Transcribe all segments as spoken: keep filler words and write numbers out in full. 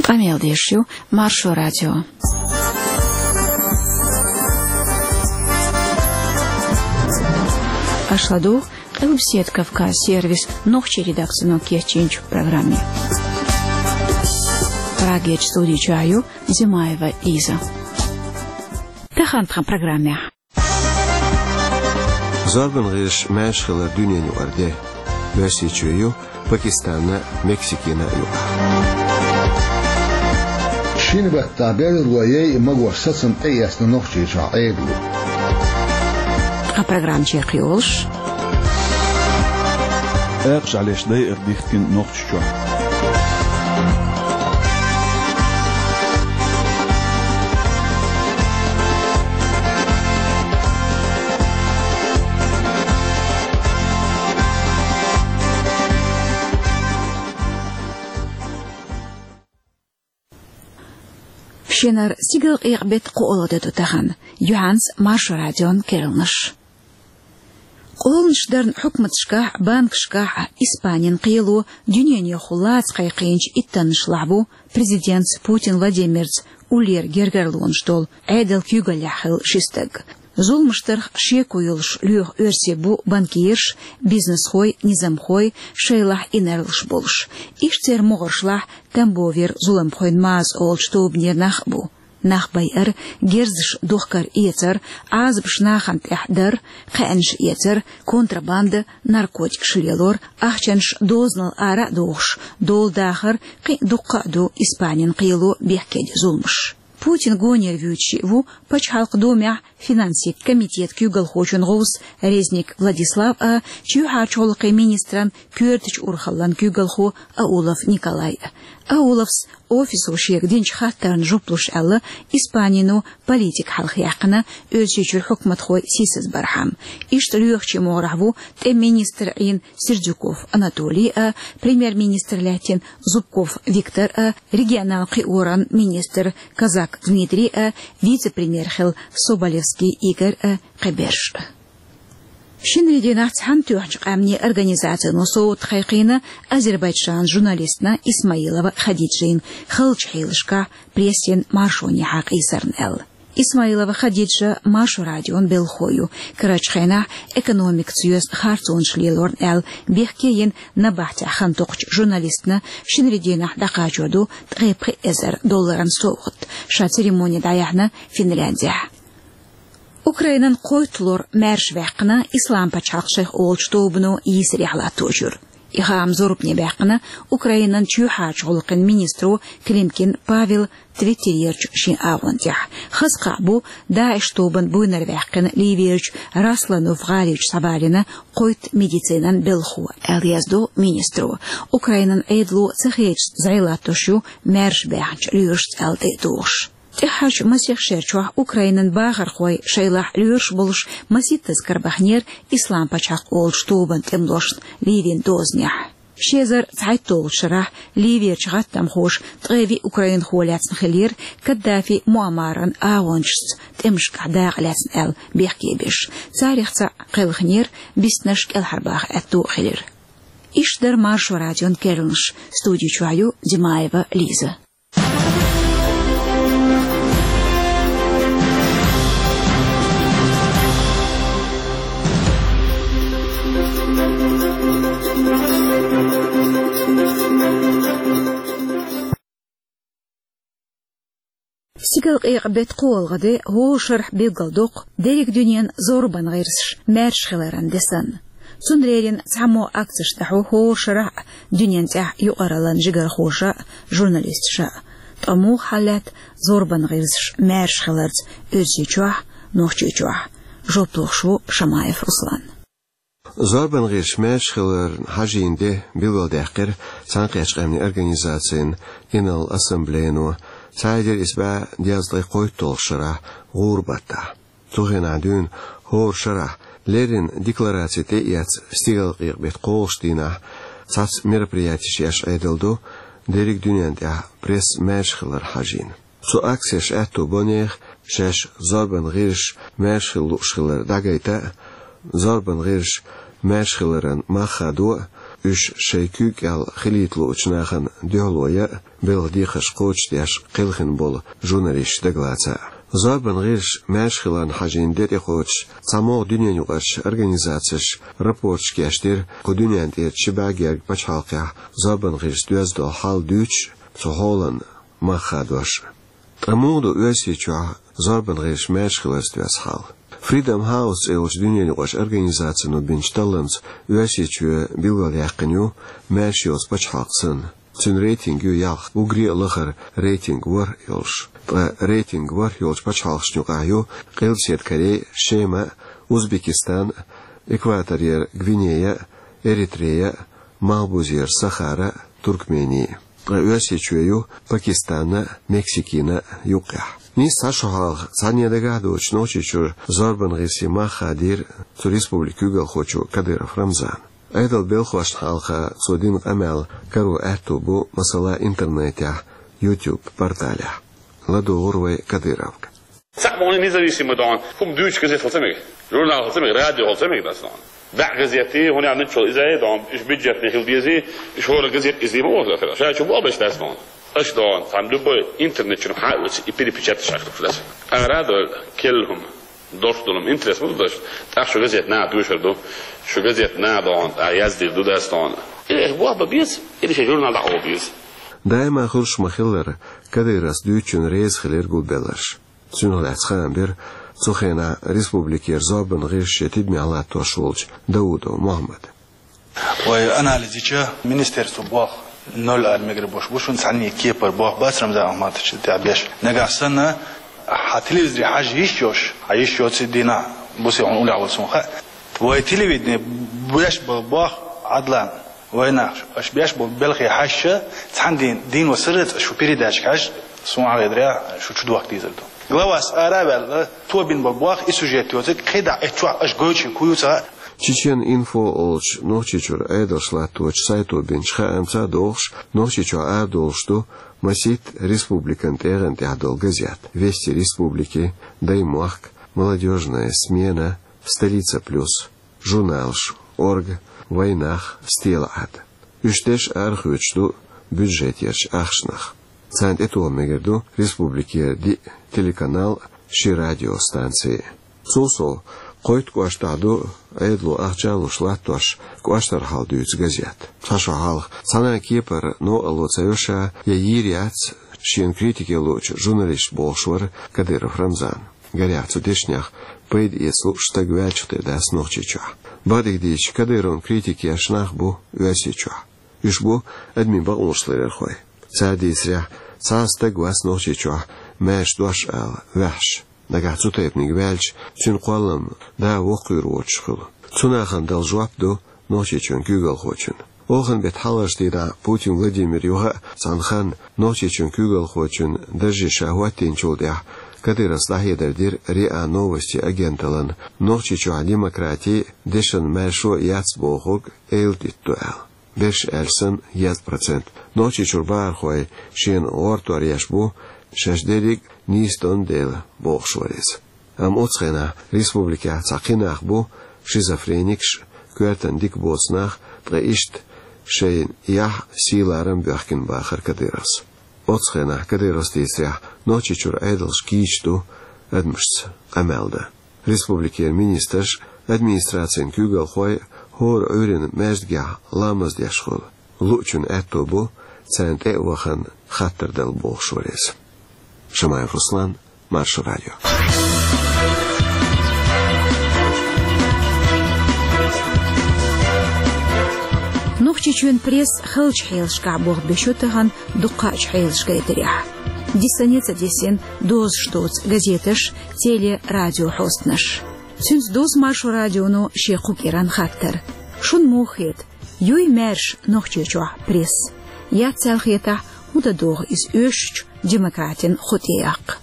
Къамел деш ю Маршо радио. Аша ладугӀу Къилбаседа Кавказ сервисан нохчийн редакцино кечйинчу программе. Прагерчу студи чохь ю Зимаева Лиза. Тахана тхан программехь. Зорбан гӀирсаша маьрша хилар дуьненан юкъара де. Оьрсийчоь ю Пакистанна а, Мексикина а юкъахь. Шина баттахь берло яйа магош сацам тӀеэцна Нохчийчохь Ӏедало. Тхан программа чекхйолуш. Акхаш Ӏалеш дайар дихкина Нохчийчохь. Шинара стигалкъекъа беттан кхоалгӀа де ду тахана. Юьхьанца Маршо радион керланаш. Къоланаш дарна хьукматашкахь а, банкашкахь а Испанин кхело дуьненан юххехула лаца кхайкхийначу иттаннашлахь ву президентца Путин Владимирца уллера гергарлонаш долу Ӏедалан куьйгаллехь хилла ши стаг. Зуламаш дарх шеко йолуш лоьху оьрсий бу банкираш, бизнесхой, низамхой, шайлахь инарлаш болуш. Иштта церан могӀаршлахь Тамбовера зуламхойн маза олучу тобанера нах а бу. Нах байар, герзаш духкар эцар, Ӏазапаш нахана тӀехь дар, кхаьънаш эцар, контрабанда, наркотикаш лелор, ахчанаш дозанал ара а дохуш, дола дахар, кхин а дуккха а ду Испанин кхело бехкедо зуламаш. Путин гонера вуьйцуш ву Пачхьалкхан Думехь финансийн комитетан куьйгалхочун гӀовс Резник Владислав а, чоьхьарчу гӀуллакхийн министран коьртачу урхаллан куьйгалхо Аулов Николай а. Ауловс офисо шега динчу хаттарна жоп луш аьлла, Испанино политика хьалха яьккхина, Оьрсийчуьра хьукматхой сийсазбархьама. Иштта лоьхучийн могӀарехь ву тӀеман министр Ӏийна Сердюков Анатолий а, премьер-министр лаьттина Зубков Виктор а, регионал кхиоран министр Козак Дмитрий а, вице-премьер хилла Соболевский Игорь а, кхиберш а. Шинарин дийнахь Цхьаьнатоьхначу Къаьмнийн Организацино совгӀат кхайкхийна Азербайджанан журналистна Исмаилова Хадиджина халчу хьелашкахь прессин маршонехьа къийсарна аьлла. Исмаилова Хадиджа Маршо радион белхахо ю, карарчу хенахь экономикаца йоьзна харцонаш лелорна аьлла, бехке йина набахтехь хан токхучу журналистна шинарин дийнахь дӀакхачор ду ткъе пхи эзар долларан совгӀат, ша церемони дӀаяьхьна Финляндехь. Украинан кхойтталгӀа лор маьрша ваьккхина Ислам пачхьалкх шайх олучу тобано йийсарехь латточуьра. И хаам зорбане баьккхина Украинан чоьхьарчу гӀуллакхийн министро Климкин Павела Твиттерерчу шен агӀон тӀехь. Хаза кхаъ бу ДАИШ тобан буйнара ваьккхина Ливерчу Расланов гӀаличу схьабалийна кхойтта медицинан белхахо, аьлла яздо министро. Украинан Ӏедало ца хеташ зӀе латтош ю маьрша баьхначу лоьрашца аьлла тӀе а тухуш. ТӀаьххьарчу масех шерчохь Украинан бахархой шайлахь лоьраш болуш масийттаза карабахнера Ислам пачхьалкх олучу тобан тӀемалошна Ливин дозанехь. Ши эзар цхьайтталгӀачу шарахь Ливерчу гӀаттамхоша ткъе виъ украинхо лаьцна хиллера Каддафи Муаммаран агӀончашца тӀемашкахь дакъа лаьцна аьлла бехке беш. Царех цхьаъ кхелхинера, биснарш кӀелхьарбаха аьтто а хилира. Иштта дара Маршо радион керланаш. Студи чохь ю Димаева Лиза. Стигалкъекъа беттан кхоалгӀа де хӀора шарахь билгалдоккху дерриг дуьненан зорбан гӀирсаш маьрша хиларан де санна. Цунна леррина цхьаммо акцеш дӀахьо хӀора шарахь а дуьненан тӀехь юкъараллин жигархоша а, журналисташа а. Ткъа муха хьал лаьтта зорбан гӀирсаш маьрша хиларца Оьрсийчохь а, Нохчийчохь а? Жоп лохуш ву Шамаев Руслан. Зорбан гӀирсаш маьрша хиларна хьажийна де билгалдаьккхира Цхьаьнакхеттачу Къаьмнийн Организацин Генерал Ассамблейно, цхьа эзар исс бӀе дезткъе кхойтталгӀачу шарахь, гӀуран баттахь. Цу хенахь дуьйна хӀора шарахь леррина деклараци тӀеэцна стигалкъекъа беттан кхоалгӀачу дийнахь цхьацца мероприятеш еш Ӏедал ду, дерриг дуьненна тӀехь пресса маьрша хилар хьажийна. Цу акцеша аьтто бо нехан шаьш зорбан гӀирсаш маьрша хила лууш хилар дӀагайта а, зорбан гӀирсаш маьрша хиларан мах хадо а, уьш шайн куьйга кӀел хилийта луучу нахана дуьхьало ян а, белхан декхарш кхочушдеш кхелхина болу журналисташ дагалаца а. Зорбан гӀирсаша маьрша хиларна хьажийна де тӀекхочуш, цхьамогӀа дуьненаюкъарчу организацеша рапорташ кечдира, кху дуьнен тӀера ши бӀе гергга пачхьалкхехь зорбан гӀирсаша доьзна долу хьал дуьйцуш, цу хьолан мах хадош. Ткъа муха ду Оьрсийчохь зорбан гӀирсаша маьрша хиларца доьзна хьал? Freedom House цӀе йолчу дуьненаюкъарчу организацино бинчу талламца Оьрсийчоь билгалъяьккхина ю маьрша йоцу пачхьалкх санна. Цуьнан рейтинг ю ялх, уггаре а лахара рейтинг ворхӀ йолуш. Ткъа рейтинг ворхӀ йолчу пачхьалкхашна юкъахь ю Къилбаседа Корей, Шема, Узбекистан, Экваторера Гвинея, Эритрея, Малхбузера Сахара, Туркмени. Ткъа Оьрсийчоь ю Пакистанна, Мексикина юккъехь. Нийса цхьа шо хьалха цхьанне дагахь доцуш Нохчийчуьра зорбан гӀирсийн мах хадийра цу республикин куьйгалхочо Кадыров Рамзана. Ӏедалан белхошна хьалха цо дина къамел каро аьтто бу, масала, интернетехь, YouTube порталехь. ЛадогӀура вай Кадыровга. Цхьаъ боху независимый дохьан, хӀума дуьйцуш газет хила ца мега, журнал хила ца мега, радио хила ца мега дац дохьан. ДӀа газет, хӀунда аьлча нуьцкъала иза а дохьан, уьш бюджетный хила дезий, уьш хӀора газет иза ма вахара. Ша чу боху беш дац дохьан. Аша дохьан, цхьана любой интернет чуьра хьан а оьцу, и перепечатать шахьа хилуш дац. Ара а дойла, келла хӀума, дош долу хӀума, интерес ма ду даш. ТӀаккха шу газет наха доьшур ду. Шу газет наха дохьан, тӀаккха яздийр ду дац дохьан. Или боху бан беза, или шен журнал дӀакъовла беза. Даима хуьлуш ма-хиллара, Кадыровс дуьйцучунна реза хилира гулбелларш. Цунах лаьцна хаам бира цу хенахь республикера зорбан гӀирсаш шен тидамехь латтош волчу Даудов Мохьмада. Вай анализ йича, министерство боху ноль ала мегар бу шуна, цхьанне кепара боху бац Рамзан Ахматовича тӀехь беш. Нагахь санна, хьан телевизоре хьажа йиш йоцуш, хьан йиш йоцу дийнахь, бусе хьуна уллехь волу суна хаьа. Вай телевидение беш бо-, боху Ӏадлан. Вайнах, аша беш болу белхе хьаьжча, цхьана дийна, дийна ван сарралц аша шу передача хьаьжча, суна хьалхедарехь, шу чу дохка дезар ду. Главас ара а ваьлла, тобин бан боху и сюжет йоцург, кхидӀа эцчохь аша гойтуш хӀун ю ца хаьа. Чечен инфо олучу Нохчийчуьра Ӏедалш латточу сайто бинчу хаамца а догӀуш, Нохчийчохь арадолуш ду масийтта республикан тӀегӀан тӀехь долу газет: Вести республики, Даймохк, Молодёжная смена, Столица плюс. Журналаш: Орга, Вайнах, Стелаӏад. Уьш деш арахоьцуш ду бюджетерчу ахчанах. Царна тӀетоха мегар ду республикера диъ телеканал, ши радиостанци. Цул сов, кхойтта кӀоштахь ду Ӏедало ахча а луш латтош кӀоштара хьал дуьйцу газет. Цхьа шо хьалха цхьана а кепара новкъарло ца йо ша, я йийр яц шена критика луучу журналист, бохуш вара Кадыров Рамзан. Гарехь, цу дешнех пайда эца лууш стаг ваьлчух тера дац Нохчийчохь. Бакъдерг дийцича, Кадыровн критика еш нах бу Оьрсийчохь. Уьш бу адамийн бакъонаш ларъярхой. Цара дийцарехь, цхьа а стаг вац Нохчийчохь маьрша дош ала ваьхьаш. Нагахь цу тайпаниг ваьлча, цуьнан кхоллам да воккхавер воцуш хуьлу. Цу нахана дала жоп ду Нохчийчоьнан куьйгалхочун. Оханан беттан хьалхарчу дийнахь Путин Владимира юха а цхьана ханна Нохчийчоьнан куьйгалхочун дарже ша хӀоттийначул тӀаьхьа Кадыровс дӀахьедар дира РИА Новости агенталлина, Нохчийчохь демократи, дешан маьршо а яц бохург эладитта ду аьлла. Берш аьлча санна, езткъа процент Нохчийчуьра бахархой шена гӀортор еш бу, шаьш дерриг а нийса дон дела, бохуш вара иза. Амма оццу хенахь республикехь цхьа кхин нах бу шизофреникаш, коьртана дика боцу нах, ткъа иштта шайн яхь, сий-ларам боьхкина, бахара Кадыровс. Оццу хенахь Кадыровс дийцарехь, Нохчийчуьра Ӏедалш кийча ду адамашца къамел дан. Республикера министраш, администрацин куьйгалхой хӀора Ӏуьйранна маьждигехь ламаз деш хуьлу. Луучун аьтто бу царна тӀе а вахана хаттар дала, бохуш вара иза. Шамаев Руслан, Маршо радио. Нохчийчоьнан пресса халчу хьелашкахь болх беш ю тахана дуккхачу хьелаш гайтарехь. Дисане а ца дисина дозуш доцу газеташ, теле-, радиохьостанаш. Цуьнца дузу Маршо радионо шен кху кӀиран хаттар. Шуна муха хета, юй маьрша Нохчийчохь пресса? Яц аьлла хетахь, хӀун дан догӀу иза оьшучу демократин кху тӀе яккха?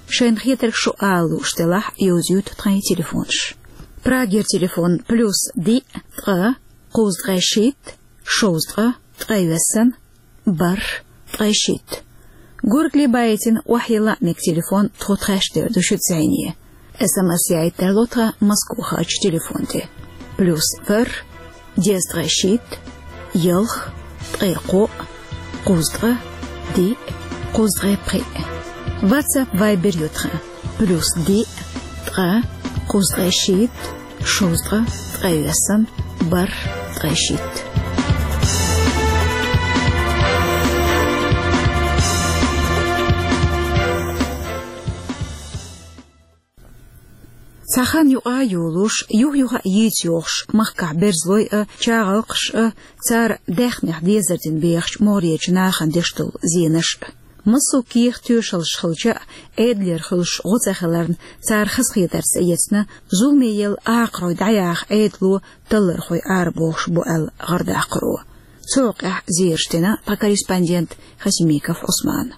Шайна хетарг шу ала лууш делахь, йовзуьйту тхайн телефонаш. Прагера телефон: плюс диъ, ткъа, кхузткъе шийтта, шовзткъа, ткъе вессан, бархӀ, ткъе шийтта. Гургали байтина охьайилла а мега телефон тхо тхаьш дер ду шуьца зӀене. СМС яийта тарло тхан Москвахарчу телефон тӀе: плюс ворхӀ, дезткъе шийтта, ялх, ткъе кхоъ, кхузткъа, диъ, кхузткъе пхиъ. WhatsApp, Viber ю тхан: плюс диъ, ткъа, кхузткъе шийтта, шовзткъа, ткъе ялх, бархӀ, ткъе шийтта. Цхьа хан юкъа а йолуш, юх-юха а йийца йохуш, махкахь берзалой а, чагӀалкхаш а, цара даьхнех дезар дина бехачу могӀарерчу нахана деш долу зенаш а. Массо а кехат, тоьшаллаш хилча а, Ӏедалера хуьлуш гӀо ца хиларна, цара хазахетарца эцна, зуламе елла акхарой дӀаяха Ӏедало таллархой арабохуш бу аьлла гӀардаккхаро. Цу хьокъехь зераш дина тхан корреспондент Хасимиков Ӏусмана.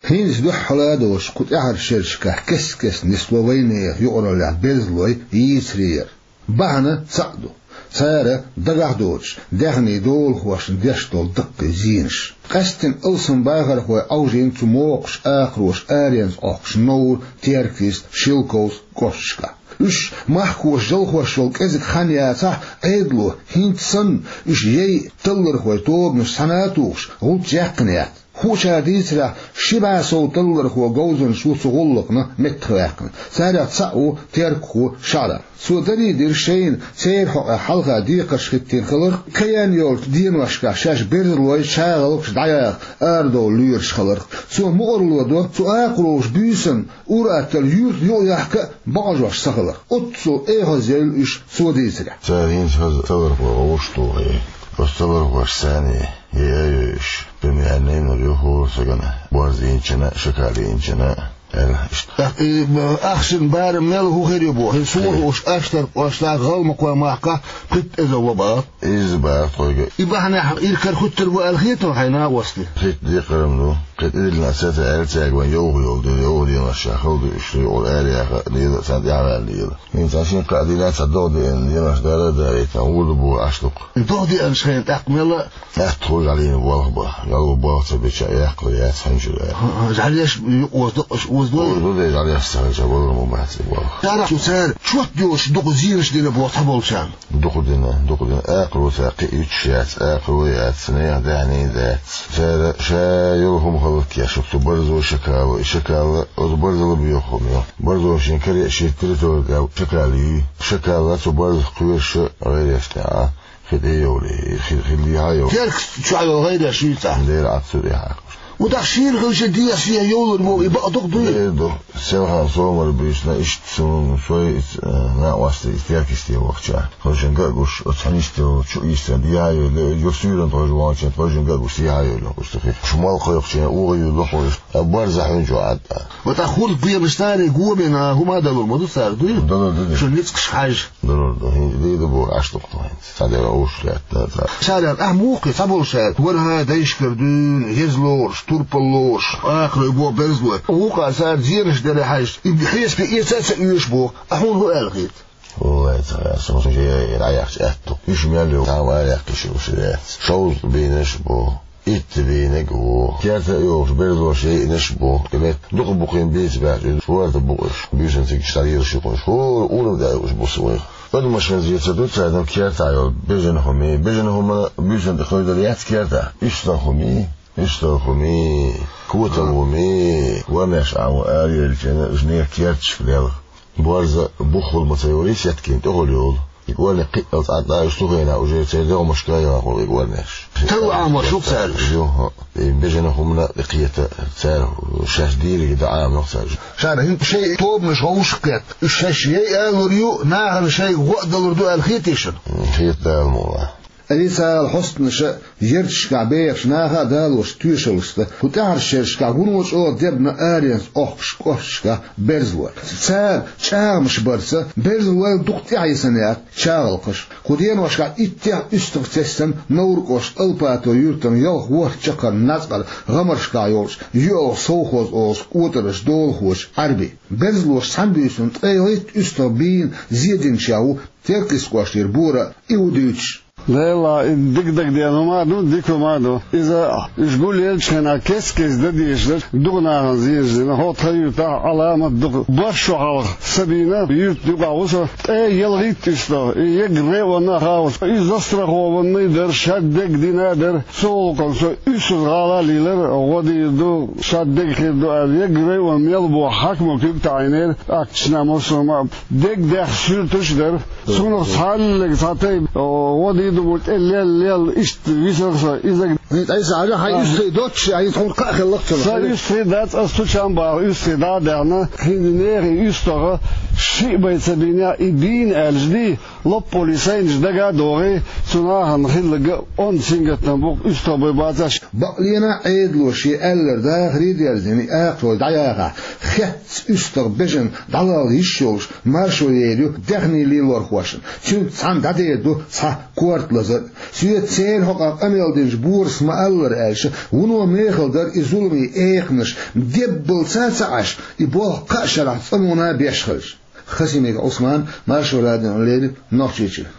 ХӀинца дуьххьала а доцуш, кху тӀаьхьарчу шерашкахь кест-кеста нисло вайнехан юкъараллехь берзалой йийцаре яра. Бахьана цхьаъ ду: цара дагахь а доцуш, даьхнийн долахошна деш долу даккхий зенаш. Къаьсттина алсам бахархой Ӏовжийна цу могӀарш, акхарош аренца Ӏохкуш Невра, Теркйист, Шелковски кӀошташкахь. Уьш махкахоша жалхош йолу кӀезиг хан яцахь а, Ӏедало хӀинца санна уьш яйъа таллархойн тобанаш цхьаьна а тухуш, гӀулч яьккхина яц. Хуучара дийцарехь, ши бӀе сов таллархо говзанчаш ву цу гӀуллакхна меттахваьккхина. Царех цхьаъ ву теркахо ШаӀрап. Цо даре а дира шайна церан хьокъехь хьалха декхарш хӀиттийна хиларх, кхин йолчу деношкахь шаьш берзалой, чагӀалкхаш дӀаяха арадовла лоьруш хиларх. Цо мукъарло до цу акхарошна буьйсанна ур-атталла юьртана юкъаяхка а бакъажош ца хиларх. Оццул эхьазъевлла уьш, цо дийцарехь. Цара хӀинца хаза таллархой гӀовттуш тухий. Оцу таллархошца цхьаьна яй а йой уьш. Пен яьнна йина ю хӀора сагана, борз йинчунна а, шакал йинчунна а, аьлла. ТӀаккха и, м, ахчанан барам мел хӀун хир ю боху? ХӀинца хӀун хууш, Аштаркхошна, ГӀалмакхойн махкахь пхийтта эзар ло бахара. Иза бахара тхойга. И бахьанехь иракарахӀуьттур бу аьлла хетий хьайна, накъостий? Пхийтта декхар-м ду. Кхин тӀедиллина сацо аьлла цаьрга, вайн йовха йолу дела, йовха деношкахь хала ду уьш, юкъара араяха а лела, царна тӀаьхьаваьлла лела. ХӀинца цхьа шина-кхаа дийнахь цхьа догӀа деана деношкахь дара а дарийта, гӀур ду боху Аштаркх. ДогӀа деанчу хенахь тӀаккха мел а атта хуьлу жӀаьлина болх бан. Ялхо болх ца бича, яьккхина яц хьуьнчур а. ХӀаъ, жӀаьлеш юкъа оза дакъаш оза дой? Оза ду, де, жӀаьлеш ца хилча, балар ма бац и болх. Царах цу цара чот йоцуш дукха зенаш дина боху цхьаболчарна? Дукха дина, дукха дина. Акхаро цара кхин а уьттуш яц, акхаро яц, нехан даьхни дац. Цара ша йолу хӀума хӀаллакъеш ю, цу барзо, шакало, и шакал а, оцу барзал а боьха хӀума ю. Барзо шен каре а шен территори тӀехь шакал юй. Шакал а цу барзах кхоьруш а гӀайреш тӀехь а. Хи тӀе йовлий, хи, хи дехьа йовлий. Теркйист чохь йолу гӀайреш юй цхьа? Дера Ӏад цу тӀехь. Ву тӀаккха шена хилча дехьа шен йовлар боху, и бакъ дукха дуй? Дера ду. Селхана сомал буьйсина иштта суна, сой, э, накъостий, и Теркйисте вахча. Хо шен ган а гуш, оцу хьанисте волу чу ийстина, дехьа йовлий, юр суьйранна тхойжа вахча, тхойжин ган а гуш, дехьа йовлий, уьш тхи. Шу малх кхойкхучийн, угӀа юй лохуш, а барза хьуьнчу Ӏад а. Ва тӀаккха хӀург бенаш цара гуо бина, хӀума а далур ма ду цара, дуй? Далур ду, дуй. Шу ницкъаш хьаьжжа. Далур ду, хӀинца дийр ду боху Аштаркх тхо хӀинца. Цхьа дера уьш лаьттина цара. Цара аьлла, ахь муха кхин цхьаболуш аьлла, вархӀа дайшкара дуьйна, еза лоруш, турпал лоруш, акхарой боху берзалой. Вукхара цара зенаш дара хьаьжча, и хьесапе эца а ца оьшу боху, ахь хьуна хӀун аьлла хета? Валлай, ца хаьа, со шен яйна дӀаяхча аьтту. Уьш мел йолу, цхьа а ваьллехкаш уьш яц. Шовзткъа бийнарш а бу. Итт бийнарг а ву. Керта а йохуш, берзалоша яйинарш а бу. Кхин метта дукха бу-кх бийца баьхча, иза шорта бу-кх уьш. Буьйсанна цига стар йолуш ю-кх уьш. ХӀора урамехь уьш бу-кх вайх. Адамаш хӀинца ца ду царна керта йолу бежана хӀума. Бежана хӀума буьйсанна тӀе хевдар яц керта. УьстагӀ хӀума, уьстагӀ хӀума, котал хӀума. Ванеш Ӏа ву ара елча, уьш нехан керташка лелха. Борза буххула ма ца йолий, сеткина тӀехула йолу. И кӀорниг кхиъал цӀа дӀа уьш цу хенахь уже церан дегӀмашка а яхула и кӀорнеш. Талла Ӏамош ю-кх цара уьш? Ю, хӀаъ. И бежана хӀумана а тӀекхета цара, шаьш дийриг дӀа Ӏамош ю-кх цара уьш. Цара хӀинца шайн тобанаш гӀовшах кхетта, уьш шаьш яй алур ю, нахана шайга гӀо а далур ду аьлла хетий шуна? М, хета Дала мукъалахь. Официалан хьостанаша, ярташкахь бехачу наха а далочу тоьшаллашца, кху тӀаьхьарчу шерашкахь вуно чӀогӀа дебна аренца Ӏохкуш кӀошташкахь берзалой. Цара чӀагӀамаш барца, берзалойла дукха тӀаьхьа йисинехь чагӀалкхаш. Кху деношкахь иттех уьстагӀ тесна Невран кӀоштан Алпатово юьртана ялх-ворхӀ чаккхарма нацкъара гӀамаршкахь йолчу ЮьалгӀа совхоз олучу кӀотарчу долахочу Ӏаьрбин. Берзалоша цхьаьна буьйсанна ткъе итт уьстагӀ бийна зе динчех ву Теркйист кӀоштара Бора Иудович. Лела, и дика дагадеана ма ду, дика ма ду. Иза уж гулъелча хенахь кест-кеста дан дезаш дара, дукха нахана зенаш дина. ХӀокху тхан юьртахь Ӏаламат дукха бархӀ шо хьалха Сабина юьртан юкъахь ву со. ТӀе ялхитта уьстагӀ, и егга районна а хаалуш. Иза застрахованный дара, шадерг дина а дара. Цу гӀуллакхана со уьссаза гӀала а лийлира, гӀо дийр ду, шадерг хир ду аьлла, егга районна мел бу хьаькамо куьг таӀийнера, ахчанаш, массо а ма, дерг дехна суьрташ а дара. Цунах цхьаллиг цхьа тайпа, о, гӀо дийр ду бу тӀе лелла, лелла, иштта висара со, иза. Ай, ай, са хьажа, хьайн уьстагӀий доццуш, ай, тхуна кхаъ хиллакх цунах. Сан уьстагӀий дац, ас цу чам баха уьстагӀий дӀа а даьхна, хӀинца нехан уьстагӀа шиъ бен ца бина, и дийна аьлча дий, лоппале сайнаш дага а догӀий, цу нахана хилларг онда сингаттам бу, уьстагӀ бен бацаш. Бакъ лена Ӏедало шен аьлларг дахаре а дерзийна, и акхарой дӀаяхахь, хетта уьстагӀ бежана дӀалала йиш йолуш, маршо ейр ю даьхни лелорхошна. Цуьнца цхьаьна дӀадер ду цхьа корта лазар а. Соьца церан хьокъехь къамел динчу Борис ма-аллара аьлча, вуно мехала дара и зуламийн экханаш, деббалца а ца Ӏаш, и болх кхаа шарахь цӀанонан беш хилча. Хасимиков Ӏусман, Маршо радиона леррина, Нохчийчуьра.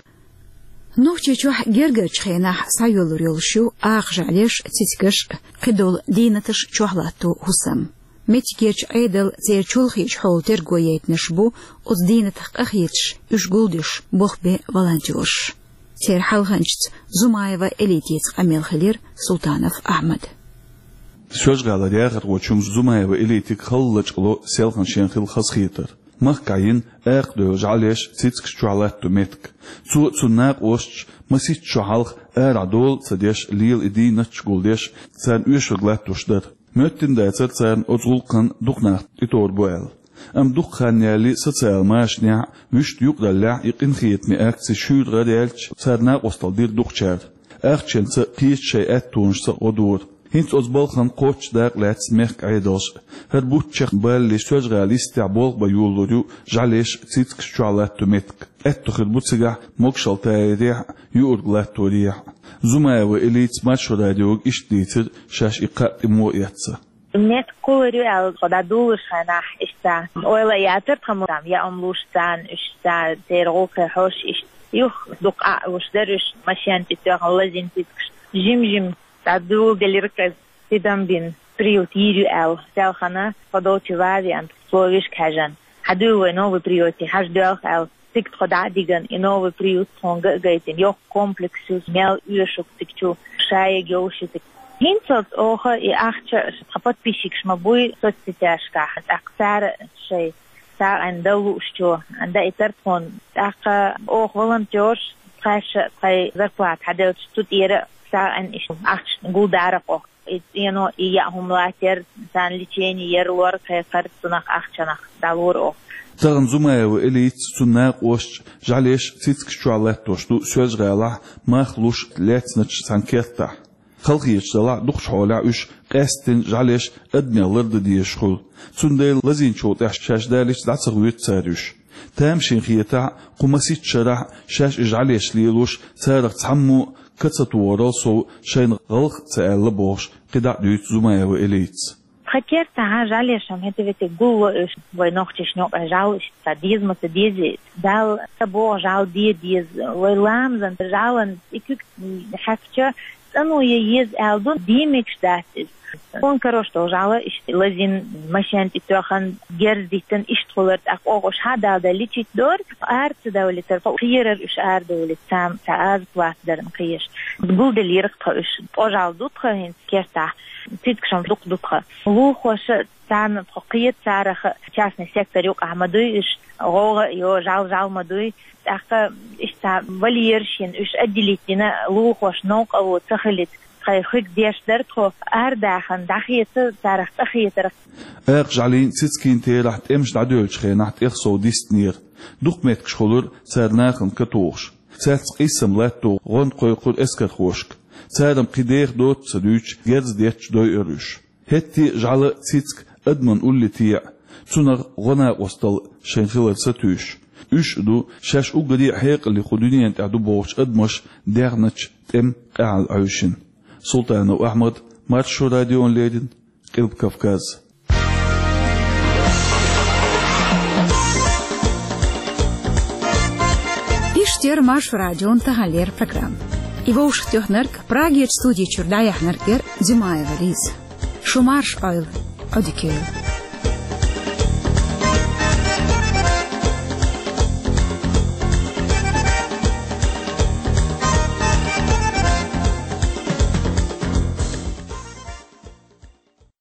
Нохчийчохь гергарчу хенахь схьайоьллур йолуш ю акха жӀаьлеш, цицигаш, кхидолу дийнаташ чохь латто хӀусам. Меттигерчу Ӏедалан церан чолхечу хьолан терго яйтинарш бу оцу дийнатах къахеташ, уьш гулдеш болх бен волонтёраш. Церан хьалханчица Зумаева Элитица къамел хилира Султанов Ахьмада. Соьлжа-ГӀалара яхархочун Зумаева Элитига хала лачкъало селхана шен хилла хазахетар. Махкахь йина акха девлла жӀаьлеш, цицигаш чохь латто меттиг. Цо а, цуьнан накъосташа а масийтта шо хьалха арахь дола а ца деш, лела и дийнаташ гулдеш, царна оьшург латтош дара. Моьттина дацара царна оцу гӀуллакхана дукха нах тӀетовр бу аьлла. Амма дукха хан ялале социал машанехь а, вуьшта юкъараллехь а и къинхетаме акци шуьйра гӀараяьлча, цара накъосталла дира дукхачара. Ахчанца а, кхечу шайн аьттонашца а гӀо дора. ХӀинца оцу балхана кхоччуш дакъа лаьцна мехкан Ӏедалша а. ХӀара бутт чекхбалале, Соьлжа-ГӀала йистехь болх бан йолалур ю жӀаьлеш, цицигаш чохь латто меттиг. Аьтто хир бу цигахь могушалла тайарехь а, юург латторехь а. Зумаева Элитас Маршо радиога иштта дийцира, шаьш и кхаъ тӀе муха эцна. Меттиг кхуллур ю аьлла, тхо дӀадолалуш хенахь, иштта ойла а яцара тхан, ма-, там яа хӀума луш царна, уьш царна, церан гӀуллакхе хьожуш, иштта юха дукха Ӏа а луш дара уьш, машен тӀе тоьхна лазийна цицигаш. Жим-жим дӀадоладелира, кхин тидам бина, приют йийр ю аьлла, селхана тхо долчу ван а веана, словешка хьаьжна. Хьадуьйла вай новый приюте, хьажа доьлху аьлла, цига тхо дӀа а дигна, и новый приют тхуна ган а гайтина, йоккха комплекс ю, мел оьшу цига чу, шайга йовш ю цига. ХӀинца оха и ахча тхан подписчикаш ма буй соцсетяшкахь, тӀаккха цара шайн сагӀина дан луучо даийтар тхуна. ТӀаккха оха волонтёрш, тхаьш а тхайн зарплата хьаделча, цу тӀера а сагӀина иштта ахча гулдара оха. И цӀено, и яа хӀума латтор, царна лечение яр, лор кхайкхар, цунах ахчанах дӀалора оха. Тахана Зумаева Элитас, цуьнан накъосташа жӀаьлеш, цицигаш чохь латтош ду Соьлжа-ГӀалахь мах луш лаьцначу цхьана кертахь. Халахеташ делахь а, дукхачу хьолехь уьш къаьсттина жӀаьлеш адамех лардан дезаш хуьлу. Цундела лазийначул тӀаьхьа шаьш далийча дӀа ца хоьцу цара уьш. Тамашийна хетахь а, кху масийтта шарахь шаьш и жӀаьлеш лелош, царах цхьаммо а ка ца тухарал сов, шайна гӀалгӀа а ца аьлла бохуш, кхидӀа а дуьйцу Зумаева Элитас. Тхан кертахь жӀаьлеш-м хӀета-вета гулло уьш, вай нохчашна юкъахь жӀаьла иштта деза ма ца деза, Далла ца боху жӀаьла де деза, вай ламазан жӀаьлан и куьг хьаькхча, цӀано ян еза аьлла ду, диймигаш дац иза. Тхуна карош долу жӀаьла иштта лазийна, машен тӀе тоьхна, герз диттина, иштта хуьлура, тӀаккха оха уьш хьа а далале лечить дора, ара ца давлийтара, кхерара уьш арадовлийта, царна цхьа аза плата дара-м кхераш. Гулделира-кх тхо уьш, ткъа жӀаьла ду тхан хӀинца кертахь, цицигаш-м дукха ду тхан. Лулахоша царна тхо кхета, царах а частный сектор юкъахь ма дуй уьш, гӀовгӀа а йо, жӀаьла жӀаьла ма дуй. ТӀаккха иштта вольераш йина, уьш отделить дина, лулахошна новкъарло ца хилийта, тхайн хиг деш дара тхо, арадахана дӀахеца, царах цӀа хетарх. Акха жӀаьлин, цицигин терахь тӀемаш дӀадоьллучу хенахь тӀех сов дистинера. Дукха меттигаш хуьлура цара нахана ка тухуш. Цаьрца къийсам латто гӀо кхойкхура эскархошка. Цара-м кхин деха доцу ца дуьйцуш, герз детташ дойура уьш. ХӀетте а жӀаьла, цициг адаман улле теӀа, цунах гӀо, накъосталла шайна хилар сатуьйсуш. Уьш а ду шаьш уггаре а хьекъале кху дуьненан тӀехь ду бохучу адамаша дегӀначу тӀеман къаьхьалла Ӏуьйшина. Султанов Ахьмад, Маршо радиона леррина, Къилба Кавказ. Иштта яра Маршо радион таханлера программа. И вовшахтоьхнарг Прагерча студи чура дӀаяьхьнарг яра Димаева Лиза. Шу марша Ӏойла, Ӏодика йойла.